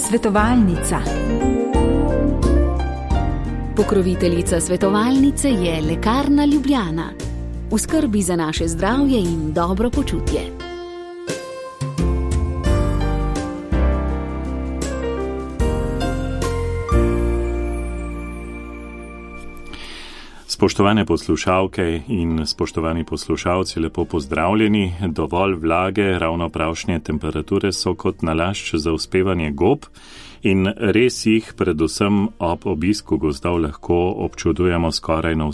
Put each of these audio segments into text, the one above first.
Svetovalnica. Pokroviteljica svetovalnice je Lekarna Ljubljana. V skrbi za naše zdravje in dobro počutje. Spoštovane poslušalke in spoštovani poslušalci, lepo pozdravljeni. Dovolj vlage, ravno pravšnje temperature so kot nalašč za uspevanje gob in res jih predvsem ob obisku gozdov lahko občudujemo skoraj na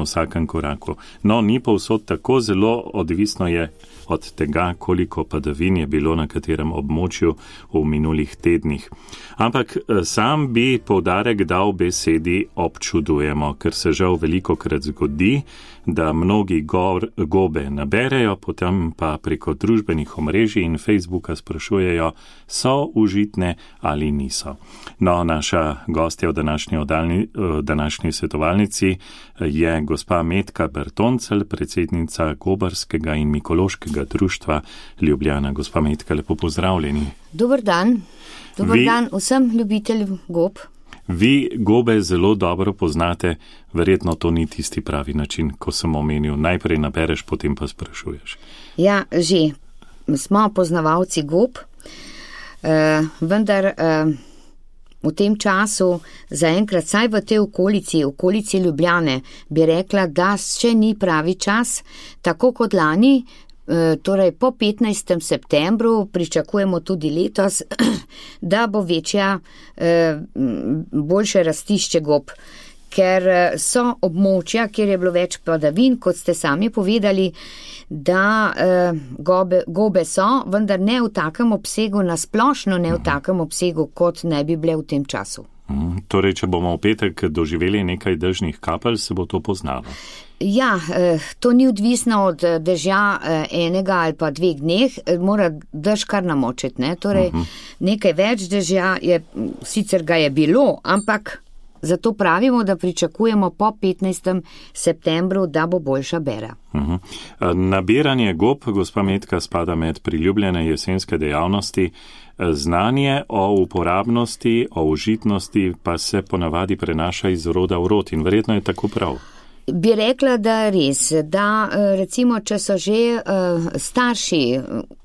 vsakem koraku. No, ni povsod tako, zelo odvisno je od tega, koliko padavin je bilo na katerem območju v minulih tednih. Ampak sam bi poudarek dal besedi občudujemo, ker se žal velikokrat zgodi, da mnogi gobe naberejo, potem pa preko družbenih omrežij in Facebooka sprašujejo, so užitne ali niso. No, naša gostja v današnji svetovalnici je gospa Metka Bertoncelj, predsednica Gobarskega in Mikološkega društva Ljubljana. Gospa Metka, lepo pozdravljeni. Dober dan. Dober dan vsem ljubiteljem gob. Vi gobe zelo dobro poznate, verjetno to ni tisti pravi način, ko sem omenil, najprej nabereš, potem pa sprašuješ. Ja, že smo poznavalci gob, vendar v tem času, zaenkrat saj v tej okolici Ljubljane, bi rekla, da še ni pravi čas, tako kot lani. Torej po 15. septembru pričakujemo tudi letos, da bo boljše rastišče gob, ker so območja, kjer je bilo več padavin, kot ste sami povedali, da gobe so, vendar ne v takem obsegu, nasplošno ne v takem obsegu, kot ne bi bile v tem času. Torej, če bomo v petek doživeli nekaj dežnih kapelj, se bo to poznalo. Ja, to ni odvisno od dežja enega ali pa 2 dneh, mora dež kar namočiti, ne? Torej, nekaj več dežja sicer ga je bilo, ampak zato pravimo, da pričakujemo po 15. septembru, da bo boljša bera. Nabiranje gob, gospa Metka, spada med priljubljene jesenske dejavnosti. Znanje o uporabnosti, o užitnosti pa se ponavadi prenaša iz roda v rod in verjetno je tako prav. Bi rekla, da res, da recimo, če so že starši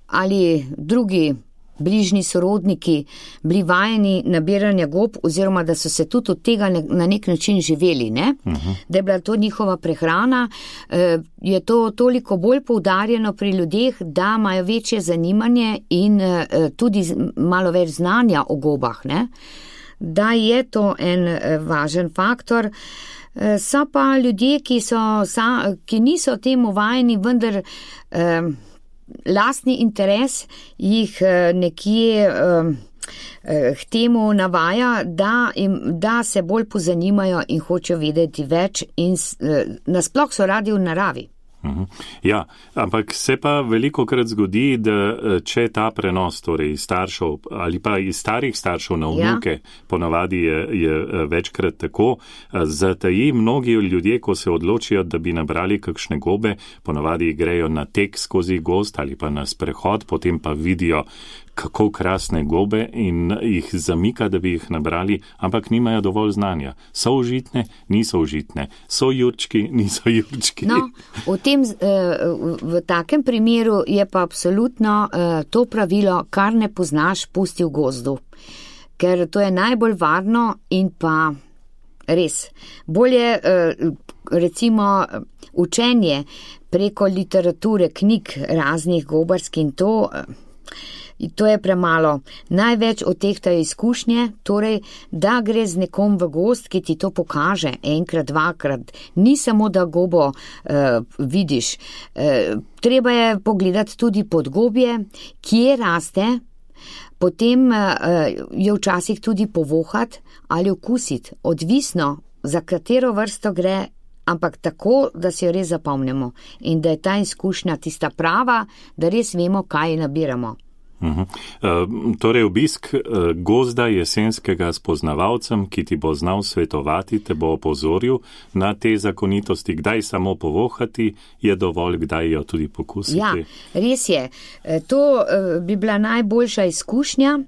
ali drugi bližnji sorodniki bili vajeni nabiranja gob, oziroma da so se tudi od tega na nek način živeli, ne? Da je bila to njihova prehrana, je to toliko bolj poudarjeno pri ljudeh, da imajo večje zanimanje in tudi malo več znanja o gobah, ne? Da je to en važen faktor. So pa ljudje, ki niso temu vajeni, vendar lastni interes jih nekje k temu navaja, da se bolj pozanimajo in hočejo vedeti več in nasploh so radi v naravi. Ja, ampak se pa velikokrat zgodi, da če ta prenos, torej iz staršev ali pa iz starih staršev na vnuke, ponavadi je večkrat tako, zataji mnogi ljudje, ko se odločijo, da bi nabrali kakšne gobe, ponavadi grejo na tek skozi gozd ali pa na sprehod, potem pa vidijo, kako krasne gobe in jih zamika, da bi jih nabrali, ampak nimajo dovolj znanja. So užitne, niso užitne. So jurčki, niso jurčki. No, v takem primeru je pa absolutno to pravilo, kar ne poznaš, pusti v gozdu. Ker to je najbolj varno in pa res. Bolje recimo učenje preko literature, knjig raznih gobarskih in to je premalo. Največ od tehtajo izkušnje, torej, da gre z nekom v gozd, ki ti to pokaže enkrat, dvakrat. Ni samo, da gobo vidiš. Treba je pogledati tudi podgobje, kje raste, potem jo včasih tudi povohati ali okusiti. Odvisno, za katero vrsto gre, ampak tako, da si jo res zapomnimo in da je ta izkušnja tista prava, da res vemo, kaj nabiramo. Torej obisk gozda jesenskega s poznavalcem, ki ti bo znal svetovati, te bo opozoril na te zakonitosti, kdaj samo povohati je dovolj, kdaj jo tudi pokusiti. Ja, res je. To bi bila najboljša izkušnja,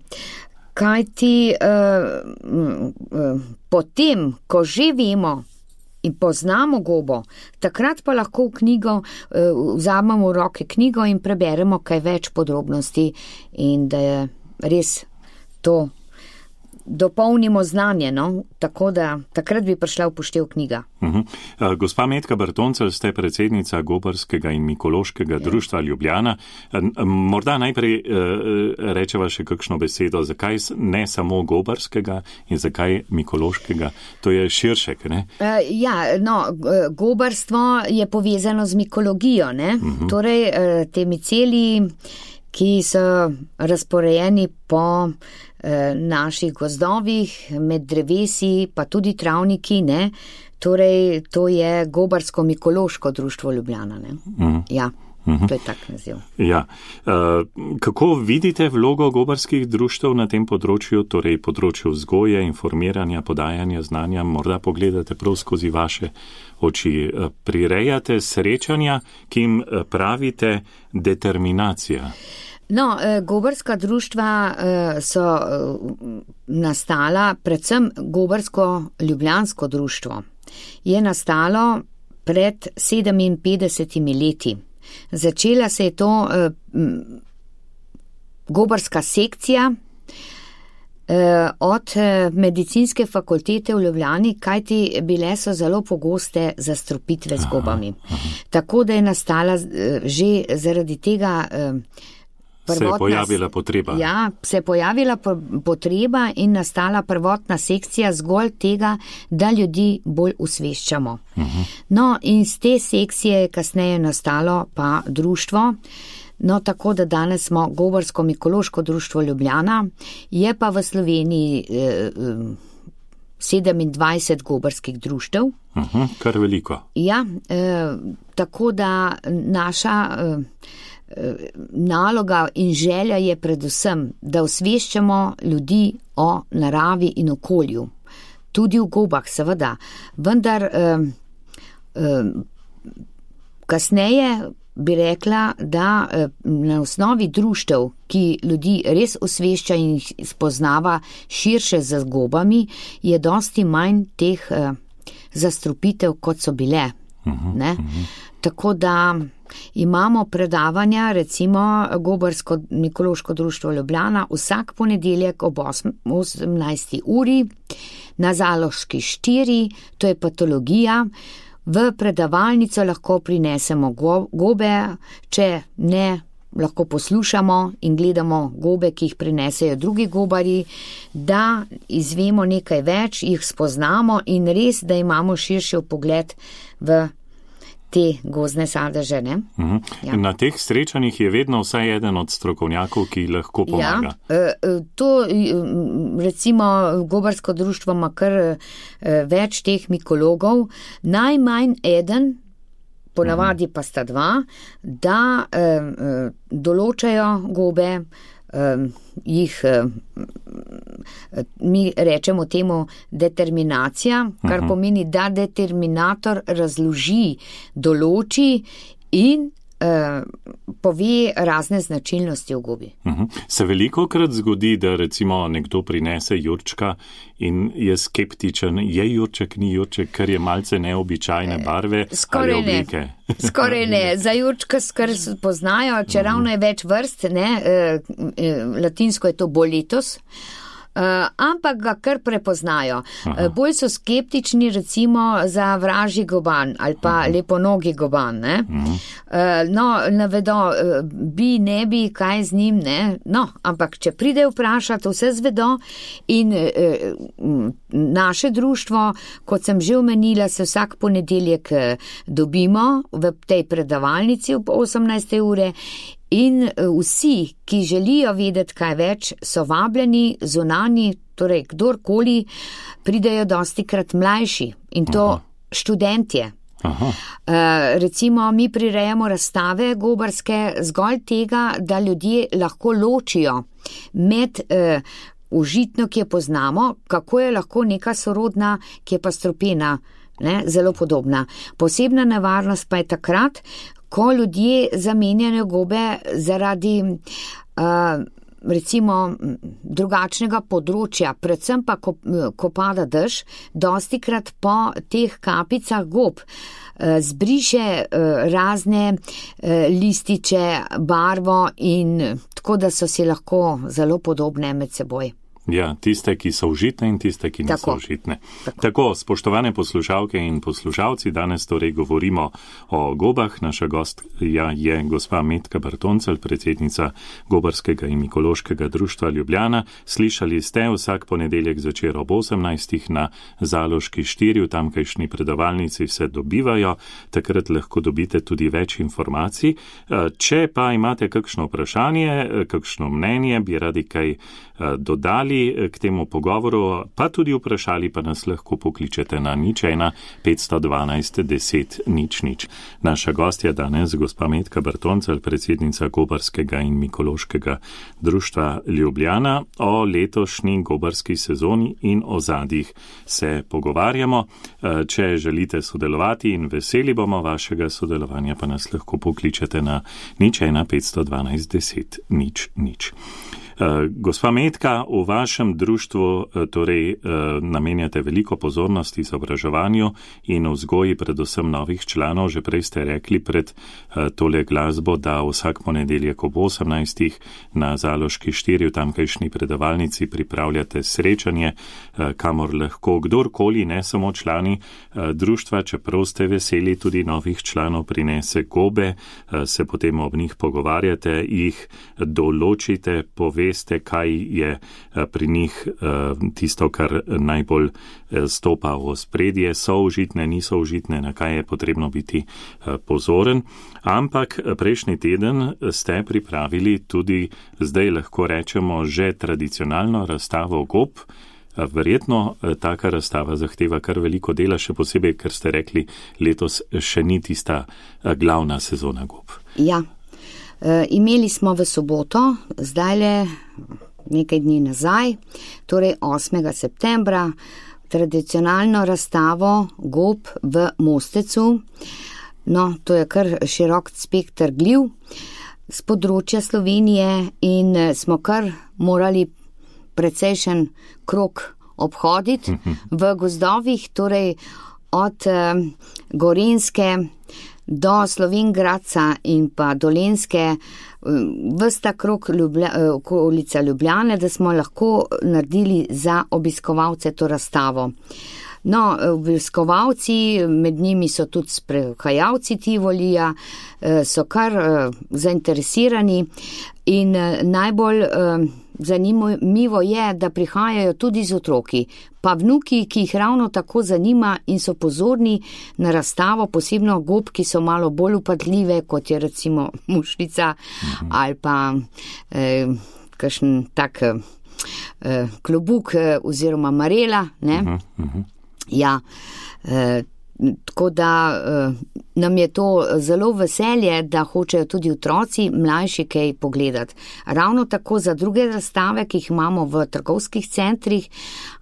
kajti potem, ko že vemo in poznamo gobo, takrat pa lahko v knjigo vzamemo v roke knjigo in preberemo kaj več podrobnosti in da je res to dopolnimo znanje, no? Tako da takrat bi prišla v poštev knjiga. Gospa Metka Bertoncelj, ste predsednica Gobarskega in Mikološkega društva Ljubljana. Morda najprej rečeva še kakšno besedo, zakaj ne samo Gobarskega in zakaj Mikološkega? To je širše, ne? Gobarstvo je povezano z mikologijo, ne? Torej, te miceli, ki so razporejeni po naših gozdovih, med drevesi, pa tudi travniki, ne? Torej, to je Gobarsko-Mikološko društvo Ljubljana, ne? Ja, to je tak naziv. Ja. Kako vidite vlogo gobarskih društev na tem področju, torej področju vzgoje, informiranja, podajanja znanja? Morda pogledate prav skozi vaše oči. Prirejate srečanja, ki jim pravite determinacija. No, gobarska društva so nastala, predvsem Gobarsko-Ljubljansko društvo je nastalo pred 57 leti. Začela se je to gobarska sekcija od medicinske fakultete v Ljubljani, kajti bile so zelo pogoste zastrupitve z gobami. Tako da je nastala že zaradi tega se je pojavila potreba. Ja, se je pojavila potreba in nastala prvotna sekcija zgolj tega, da ljudi bolj usveščamo. No, in z te sekcije je kasneje nastalo pa društvo, no, tako da danes smo Gobarsko-Mikološko društvo Ljubljana, je pa v Sloveniji 27 gobarskih društev. Kar veliko. Ja, tako da naša naloga in želja je predvsem, da osveščamo ljudi o naravi in okolju. Tudi v gobah, seveda. Vendar kasneje bi rekla, da na osnovi društev, ki ljudi res osvešča in jih spoznava širše z gobami, je dosti manj teh zastrupitev, kot so bile. Ne? Tako da imamo predavanja, recimo Gobarsko-Mikološko društvo Ljubljana, vsak ponedeljek ob 18. uri na Zaloški 4, to je patologija. V predavalnico lahko prinesemo gobe, če ne, lahko poslušamo in gledamo gobe, ki jih prinesejo drugi gobarji, da izvemo nekaj več, jih spoznamo in res, da imamo širši pogled v te gozdne sadeže, ne? Ja. Na teh srečanjih je vedno vsaj eden od strokovnjakov, ki lahko pomaga. Ja, to recimo Gobarsko društvo ima kar več teh mikologov, najmanj eden, ponavadi pa sta dva, da določajo gobe, jih mi rečemo temu determinacija, kar pomeni, da determinator razloži, določi in pove razne značilnosti v gobi. Se velikokrat zgodi, da recimo nekdo prinese jurčka in je skeptičen, je jurček, ni jurček, ker je malce neobičajne barve ali oblike. Skoraj ne. Za jurčka skar poznajo, če ravno je več vrst, ne, latinsko je to boletus, ampak ga kar prepoznajo. Bolj so skeptični recimo za vražji goban ali pa leponogi goban, ne? No, navedo, bi, ne bi, kaj z njim, ne? No, ampak če pride vprašati, vse zvedo in naše društvo, kot sem že omenila, se vsak ponedeljek dobimo v tej predavalnici ob 18. ure. In vsi, ki želijo vedeti kaj več, so vabljeni, zunani, torej kdorkoli, pridejo dostikrat mlajši in to študentje. Recimo, mi prirejamo razstave gobarske zgolj tega, da ljudje lahko ločijo med užitno, ki jo poznamo, kako je lahko neka sorodna, ki je pa strupena, zelo podobna. Posebna nevarnost pa je takrat, ko ljudje zamenjajo gobe zaradi recimo drugačnega področja, predvsem pa, ko pada dež, dostikrat po teh kapicah gob zbriše razne lističe, barvo in tako, da so si lahko zelo podobne med seboj. Ja, tiste, ki so užitne in tiste, ki niso užitne. Tako, spoštovane poslušalke in poslušalci, danes torej govorimo o gobah. Naša gostja je gospa Metka Bartoncelj, predsednica Gobarskega in Mikološkega društva Ljubljana. Slišali ste vsak ponedeljek zvečer ob 18. na Zaloški 4, v tamkajšnji predavalnici se dobivajo, takrat lahko dobite tudi več informacij. Če pa imate kakšno vprašanje, kakšno mnenje, bi radi kaj dodali k temu pogovoru, pa tudi vprašali, pa nas lahko pokličete na 01 512 10 00. Naša gostja danes, gospa Metka Bartoncelj, predsednica Gobarskega in Mikološkega društva Ljubljana, o letošnji gobarski sezoni in o zadjih se pogovarjamo. Če želite sodelovati in veseli bomo vašega sodelovanja, pa nas lahko pokličete na 01 512 10 00. Gospa Metka, v vašem društvu torej namenjate veliko pozornosti izobraževanju in vzgoji predvsem novih članov. Že prej ste rekli pred tole glasbo, da vsak ponedeljek ob 18. na Zaloški 4 v tamkajšnji predavalnici pripravljate srečanje, kamor lahko kdorkoli, ne samo člani društva, čeprav ste veseli tudi novih članov, prinese gobe, se potem ob njih pogovarjate, jih določite, veste, kaj je pri njih tisto, kar najbolj stopa v ospredje, so užitne, niso užitne, na kaj je potrebno biti pozoren. Ampak prejšnji teden ste pripravili tudi, zdaj lahko rečemo, že tradicionalno razstavo gob. Verjetno taka razstava zahteva kar veliko dela, še posebej, ker ste rekli, letos še ni tista glavna sezona gob. Ja. Imeli smo v soboto, zdajle nekaj dni nazaj, torej 8. septembra, tradicionalno razstavo gob v Mostecu. No, to je kar širok spekter gljiv z področja Slovenije in smo kar morali precejšen krog obhoditi v gozdovih, torej od Gorenjske do Slovenj Gradca in pa Dolenjske, vsta krog okolica Ljubljane, da smo lahko naredili za obiskovalce to razstavo. No, obiskovalci, med njimi so tudi sprehajalci Tivolija, so kar zainteresirani in najbolj zanimivo je, da prihajajo tudi z otroki, pa vnuki, ki jih ravno tako zanima in so pozorni na razstavo, posebno gob, ki so malo bolj upadljive, kot je recimo mušnica ali pa kakšen tak klobuk oziroma marela, ne? Ja, tako da nam je to zelo veselje, da hočejo tudi otroci mlajši kaj pogledati. Ravno tako za druge razstave, ki jih imamo v trgovskih centrih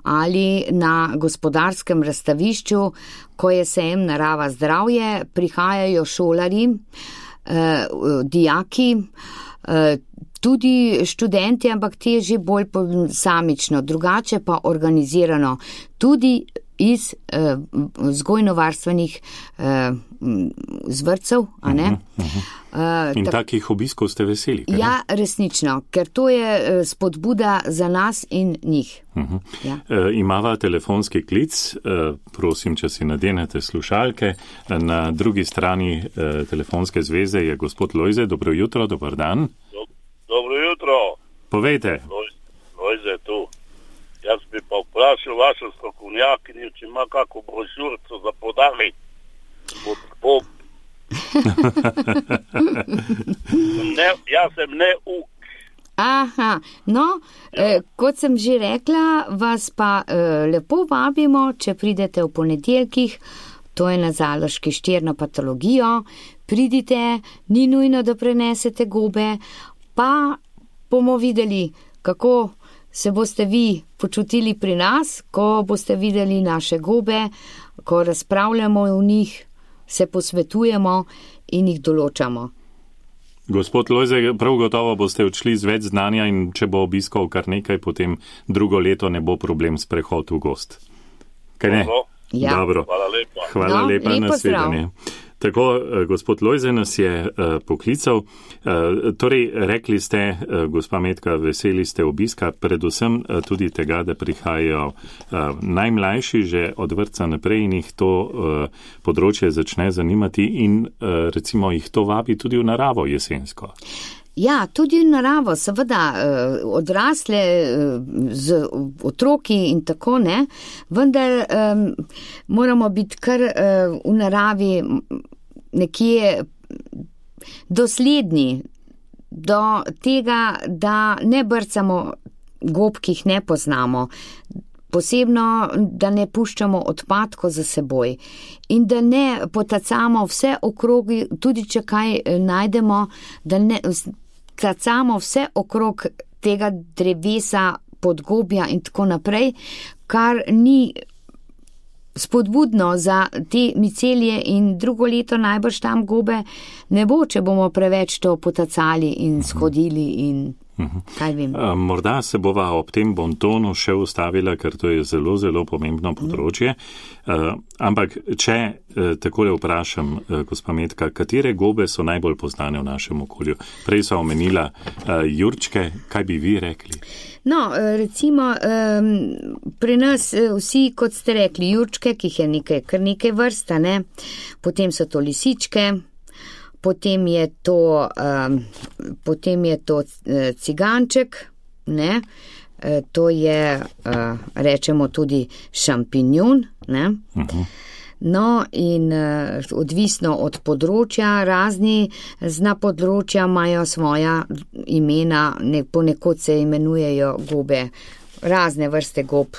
ali na gospodarskem razstavišču, ko je sejem Narava zdravje, prihajajo šolari, dijaki, tudi študenti, ampak te že bolj samično, drugače pa organizirano, tudi iz vzgojno-varstvenih zvrtcev, a ne? In takih obiskov ste veseli? Kaj? Ja, resnično, ker to je spodbuda za nas in njih. Ja. Imava telefonski klic, prosim, če si nadenete slušalke. Na drugi strani telefonske zveze je gospod Lojze. Dobro jutro, dober dan. Dobro jutro. Povejte. Lojze tu. Jaz bi pa vprašal vašo strokovnjakinjo, če ima kako brošurico za podali. Jaz sem neuk. Aha, no, kot sem že rekla, vas pa lepo vabimo, če pridete v ponedeljkih to je na Zaloški 4 na patologijo, pridite, ni nujno, da prenesete gobe, pa bomo videli, kako se boste vi počutili pri nas, ko boste videli naše gobe, ko razpravljamo o njih, se posvetujemo in jih določamo. Gospod Lojze, prav gotovo boste odšli z več znanja in če bo obiskal kar nekaj, potem drugo leto ne bo problem s prehod v gost. Kaj ne? Ja. Dobro. Hvala lepa na svidenje. Tako, gospod Lojze nas je poklical. Torej, rekli ste, gospa Metka, veseli ste obiska, predvsem tudi tega, da prihajajo najmlajši že od vrtca naprej in jih to področje začne zanimati in recimo jih to vabi tudi v naravo jesensko. Ja, tudi v naravo, seveda, odrasle z otroki in tako, ne, vendar moramo biti kar v naravi nekje dosledni do tega, da ne brcamo gob, ki jih ne poznamo, posebno, da ne puščamo odpadkov za seboj in da ne potacamo vse okrogi, tudi če kaj najdemo, da ne tacamo vse okrog tega drevesa, podgobja in tako naprej, kar ni spodbudno za te micelije in drugo leto najbrž tam gobe ne bo, če bomo preveč to potacali in shodili in kaj vem. Morda se bova ob tem bontonu še ustavila, ker to je zelo, zelo pomembno področje. Ampak, če takole vprašam, gospa Metka, katere gobe so najbolj poznane v našem okolju? Prej so omenila jurčke, kaj bi vi rekli? No, recimo, pri nas vsi, kot ste rekli, jurčke, ki jih je kar nekaj vrsta, ne? Potem so to lisičke, potem je to ciganček, ne, to je, rečemo tudi šampinjon, ne. No, in odvisno od področja, razni zna področja imajo svoja imena, ponekod se imenujejo gobe, razne vrste gob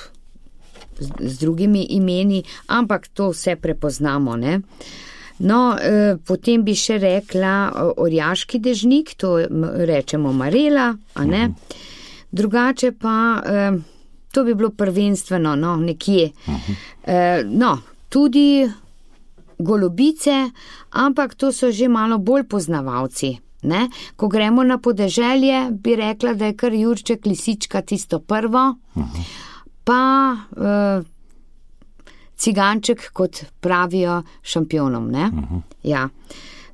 z drugimi imeni, ampak to vse prepoznamo, ne. No, potem bi še rekla orjaški dežnik, to rečemo marela, a ne? Drugače pa, to bi bilo prvenstveno, no, nekje. No, tudi golobice, ampak to so že malo bolj poznavalci, ne? Ko gremo na podeželje, bi rekla, da je kar jurček, lisička tisto prvo, pa ciganček, kot pravijo, šampionom, ne? Ja.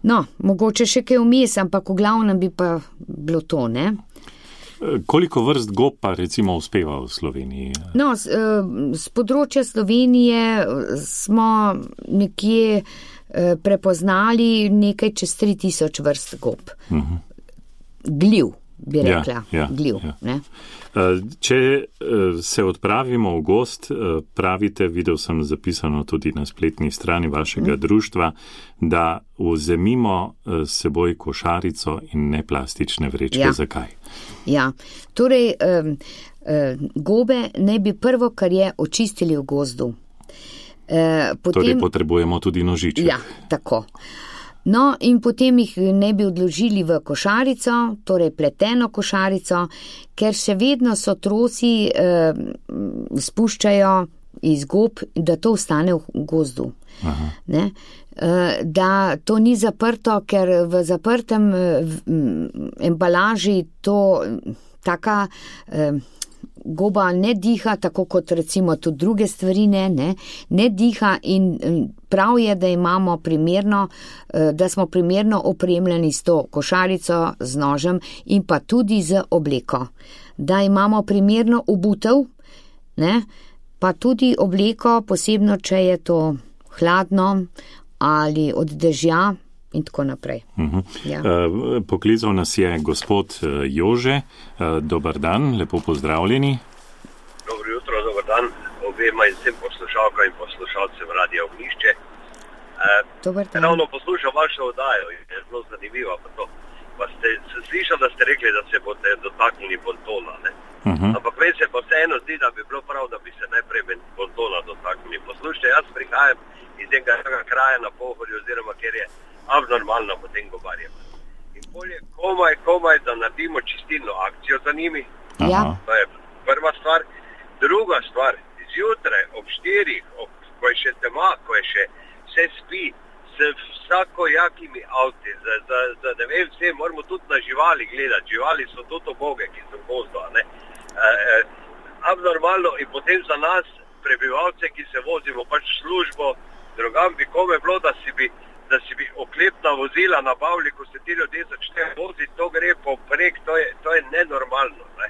No, mogoče še kaj vmes, ampak v glavnem bi pa bilo to, ne? Koliko vrst gob pa recimo uspeva v Sloveniji? No, z področja Slovenije smo nekje prepoznali nekaj čez 3000 vrst gob. Gliv, bi rekla. Gliv, ne? Če se odpravimo v gost, pravite, videl sem zapisano tudi na spletni strani vašega društva, da vzemimo s seboj košarico in ne plastične vrečke. Ja. Zakaj? Ja, torej gobe naj bi prvo, kar je, očistili v gozdu. Potem, torej potrebujemo tudi nožiček. Ja, tako. No, in potem jih ne bi odložili v košarico, torej pleteno košarico, ker še vedno so trosi spuščajo iz gob, da to ostane v gozdu. Ne? Da to ni zaprto, ker v zaprtem embalaži to taka goba ne diha, tako kot recimo tudi druge stvari ne diha in prav je, da imamo primerno, da smo primerno opremljeni s to košarico, z nožem in pa tudi z obleko. Da imamo primerno obutev, ne, pa tudi obleko, posebno, če je to hladno ali od dežja in tako naprej. Ja. Poklical nas je gospod Jože. Dobar dan, lepo pozdravljeni. Dobro jutro, dobar dan obema in vsem poslušalkam in poslušalcem Radia Ognjišče. Ravno poslušam vašo oddajo in je zelo zanimiva. Pa ste slišali, da ste rekli, da se boste dotaknili bontona, ne? Ampak meni se pa vseeno zdi, da bi bilo prav, da bi se najprej bontona dotaknili. Poslušajte, jaz prihajam iz enega za njimi. Ja. To je prva stvar. Druga stvar, zjutraj ob 4, ko je še tema, ko je še vse spi, s vsakojakimi avti, ne vem, vse moramo tudi na živali gledati. Živali so tudi oboge, ki so v gozdu, ne. Abnormalno in potem za nas, prebivalce, ki se vozimo pač v službo, drugam bi kome bilo, da si bi oklepna vozila nabavili, ko se ti ljudje začnejo voziti, to gre poprek, to je nenormalno, ne.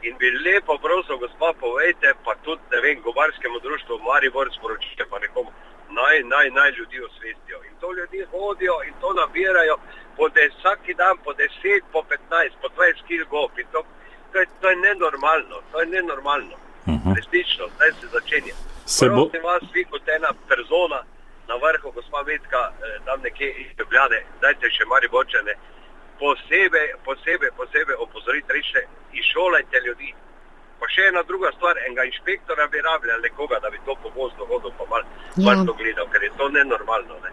In bi lepo prosil, gospa, povejte, pa tudi, ne vem, gobarskemu društvu Maribor sporočite pa nekomu, naj ljudi osvestijo. In to ljudi hodijo in to nabirajo vsaki dan po 10, po 15, po 20 kil gob. In to je nenormalno. Resnično, zdaj se začenja. Prosim vas, vi kot ena persona na vrhu, gospa Metka, tam nekje iz Ljubljane, dajte še Mariborčane, posebej opozoriti, reče, izšolajte ljudi. Pa še ena druga stvar, enega inšpektora bi rabili ali nekoga, da bi to po gozdu hodil pa malo to gledal, ker je to nenormalno. Ne.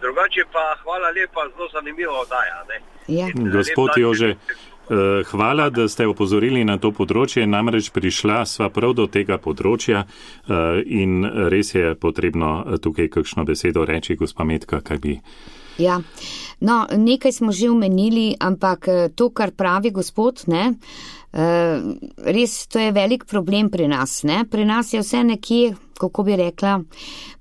Drugače pa hvala lepa, zelo zanimivo oddaja. Gospod Jože, hvala, da ste opozorili na to področje, namreč prišla sva prav do tega področja in res je potrebno tukaj kakšno besedo reči, gospa Metka, kaj bi... Ja, no, nekaj smo že omenili, ampak to, kar pravi gospod, ne, res to je velik problem pri nas, ne, pri nas je vse nekje, kako bi rekla,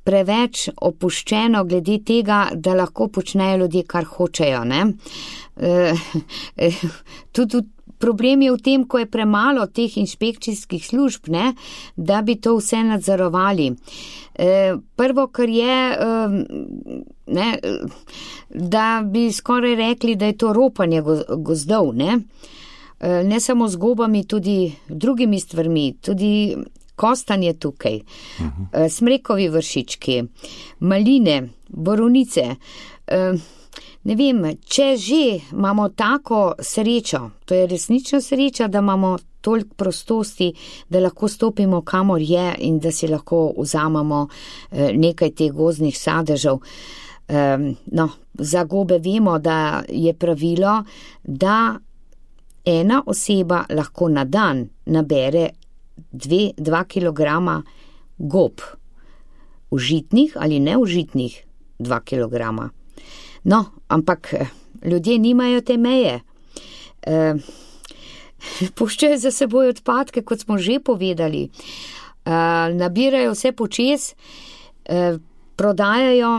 preveč opuščeno glede tega, da lahko počnejo ljudje, kar hočejo, ne. Tudi problem je v tem, ko je premalo teh inšpekcijskih služb, ne, da bi to vse nadzorovali. Prvo, kar je, ne, da bi skoraj rekli, da je to ropanje gozdov, ne. Ne samo z gobami, tudi drugimi stvarmi, tudi kostanje tukaj, smrekovi vršički, maline, borovnice. Ne vem, če že imamo tako srečo, to je resnično sreča, da imamo toliko prostosti, da lahko stopimo kamor je in da si lahko vzamemo nekaj teh gozdnih sadežev. No, za gobe vemo, da je pravilo, da ena oseba lahko na dan nabere 2 kilograma gob, užitnih ali neužitnih 2 kilograma. No, ampak ljudje nimajo te meje. Puščajo za seboj odpadke, kot smo že povedali. Nabirajo vse počez, prodajajo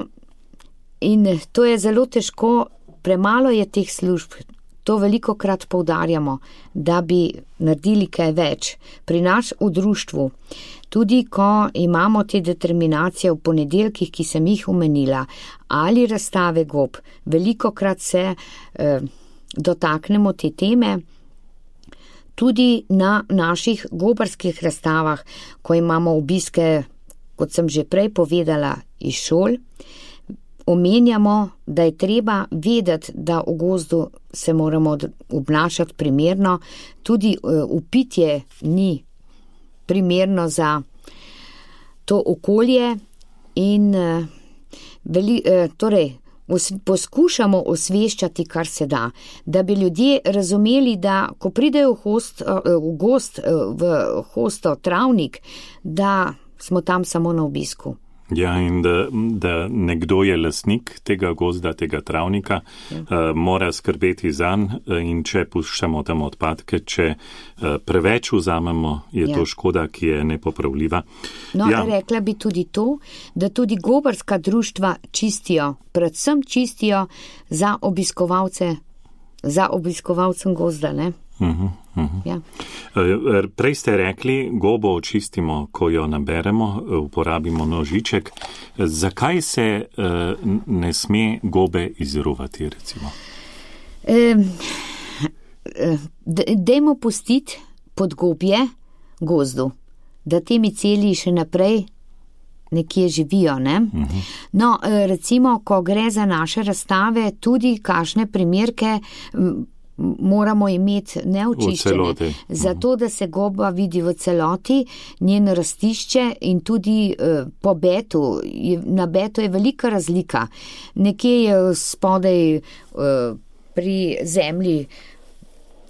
in to je zelo težko, premalo je teh služb. To velikokrat poudarjamo, da bi naredili kaj več. Pri nas v društvu, tudi ko imamo te determinacije v ponedeljkih, ki sem jih omenila, ali razstave gob, velikokrat se dotaknemo te teme, tudi na naših gobarskih razstavah, ko imamo obiske, kot sem že prej povedala, iz šol, omenjamo, da je treba vedeti, da v gozdu se moramo obnašati primerno, tudi upitje ni primerno za to okolje in torej poskušamo osveščati, kar se da, da bi ljudje razumeli, da ko pridejo v gozd, v hosto travnik, da smo tam samo na obisku. Ja, in da nekdo je lastnik tega gozda, tega travnika, mora skrbeti zanj in če puščamo tam odpadke, če preveč vzamemo, je to škoda, ki je nepopravljiva. No, rekla bi tudi to, da tudi gobarska društva čistijo, predvsem čistijo za obiskovalcem gozda, ne? Ja. Prej ste rekli, gobo očistimo, ko jo naberemo, uporabimo nožiček. Zakaj se ne sme gobe izruvati, recimo? Dajmo pustiti podgobje gozdu, da te miceli še naprej nekje živijo, ne? No, recimo, ko gre za naše razstave, tudi kakšne primerke moramo imeti neočiščene, zato da se goba vidi v celoti, njeno rastišče in tudi po betu. Na betu je velika razlika. Nekje je spodaj pri zemlji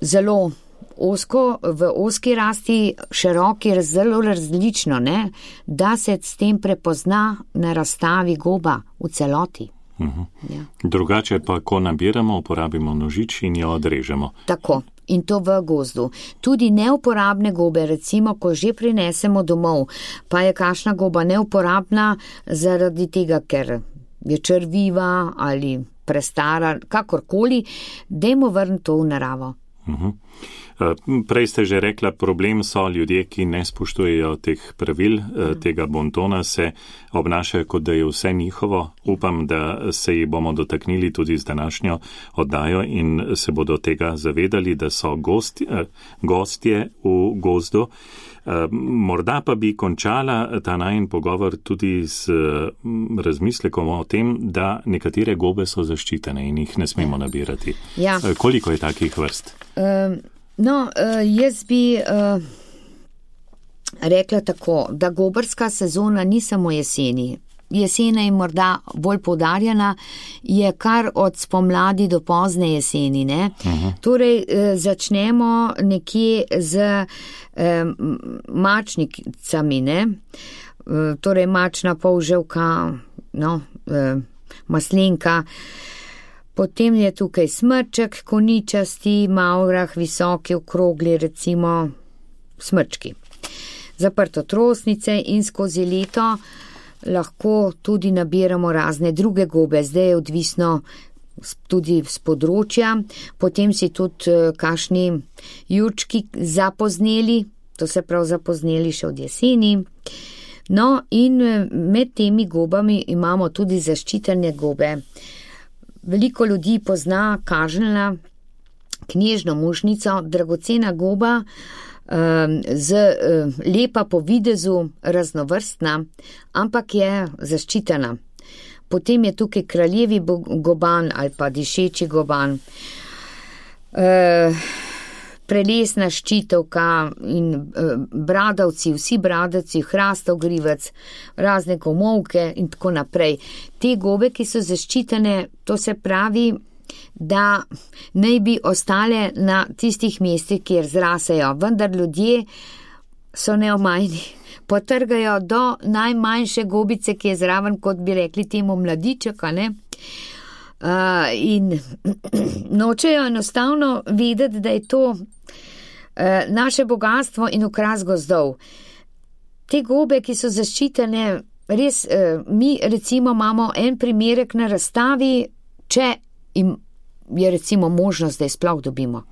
zelo v oski rasti, široki, zelo različno, ne? Da se s tem prepozna na razstavi goba v celoti. Ja. Drugače pa, ko nabiramo, uporabimo nožič in jo odrežemo. Tako. In to v gozdu. Tudi neuporabne gobe, recimo, ko že prinesemo domov, pa je kakšna goba neuporabna zaradi tega, ker je črviva ali prestara, kakorkoli, dajmo vrniti to v naravo. Prej ste že rekla, problem so ljudje, ki ne spoštujejo teh pravil, tega bontona, se obnašajo, kot da je vse njihovo. Upam, da se jih bomo dotaknili tudi z današnjo oddajo in se bodo tega zavedali, da so gostje v gozdu. Morda pa bi končala ta najin pogovor tudi z razmislekom o tem, da nekatere gobe so zaščitene in jih ne smemo nabirati. Ja. Koliko je takih vrst? Jaz bi rekla tako, da gobarska sezona ni samo jeseni. Jesena je morda bolj poudarjena, je kar od spomladi do pozne jeseni. Ne? Torej, začnemo nekje z mačnicami, ne? Torej mačna polževka, maslenka. Potem je tukaj smrček, koničasti, mavrah, visoki, okrogli, recimo smrčki. Zaprtotrosnice in skozi leto lahko tudi nabiramo razne druge gobe, zdaj je odvisno tudi z področja. Potem si tudi kakšni jurčki zapozneli, to se prav zapozneli še od jeseni. No in med temi gobami imamo tudi zaščitene gobe. Veliko ljudi pozna kažnjena knežno mušnico, dragocena goba, lepa po videzu, raznovrstna, ampak je zaščitena. Potem je tukaj kraljevi goban ali pa dišeči goban, prelesna ščitovka in bradavci, vsi bradavci, hrastov grivec, razne komovke in tako naprej. Te gobe, ki so zaščitene, to se pravi, da naj bi ostale na tistih mestih, kjer zrasejo, vendar ljudje so neomajni. Potrgajo do najmanjše gobice, ki je zraven, kot bi rekli temu mladičeka, ne? In nočejo enostavno vedeti, da je to naše bogatstvo in okras gozdov. Te gobe, ki so zaščitene, res, mi recimo imamo en primerek na razstavi, če je recimo možnost, da je sploh dobimo.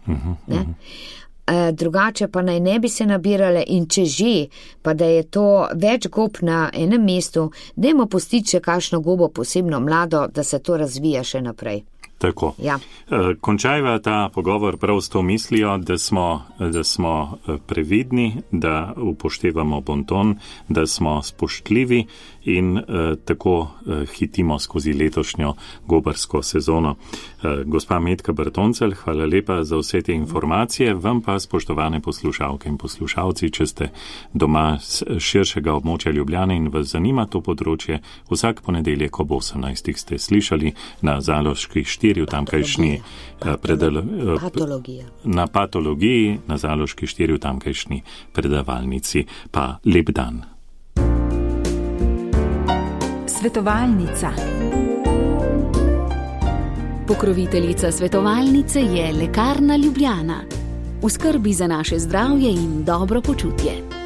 Drugače pa naj ne bi se nabirale in če že, pa da je to več gob na enem mestu, dajmo pustiti še kakšno gobo posebno mlado, da se to razvija še naprej. Tako. Ja. Končajva ta pogovor prav s to mislijo, da smo previdni, da upoštevamo bonton, da smo spoštljivi in tako hitimo skozi letošnjo gobarsko sezono. Gospa Metka Bertoncelj, hvala lepa za vse te informacije. Vam pa, spoštovane poslušalke in poslušalci, če ste doma z širšega območja Ljubljane in vas zanima to področje, vsak ponedeljek ob 18. ste slišali na Zaloški 4 v tamkajšnji na patologiji, na Zaloški 4 v tamkajšnji predavalnici. Pa lep dan. Svetovalnica. Pokroviteljica svetovalnice je Lekarna Ljubljana. V skrbi za naše zdravje in dobro počutje.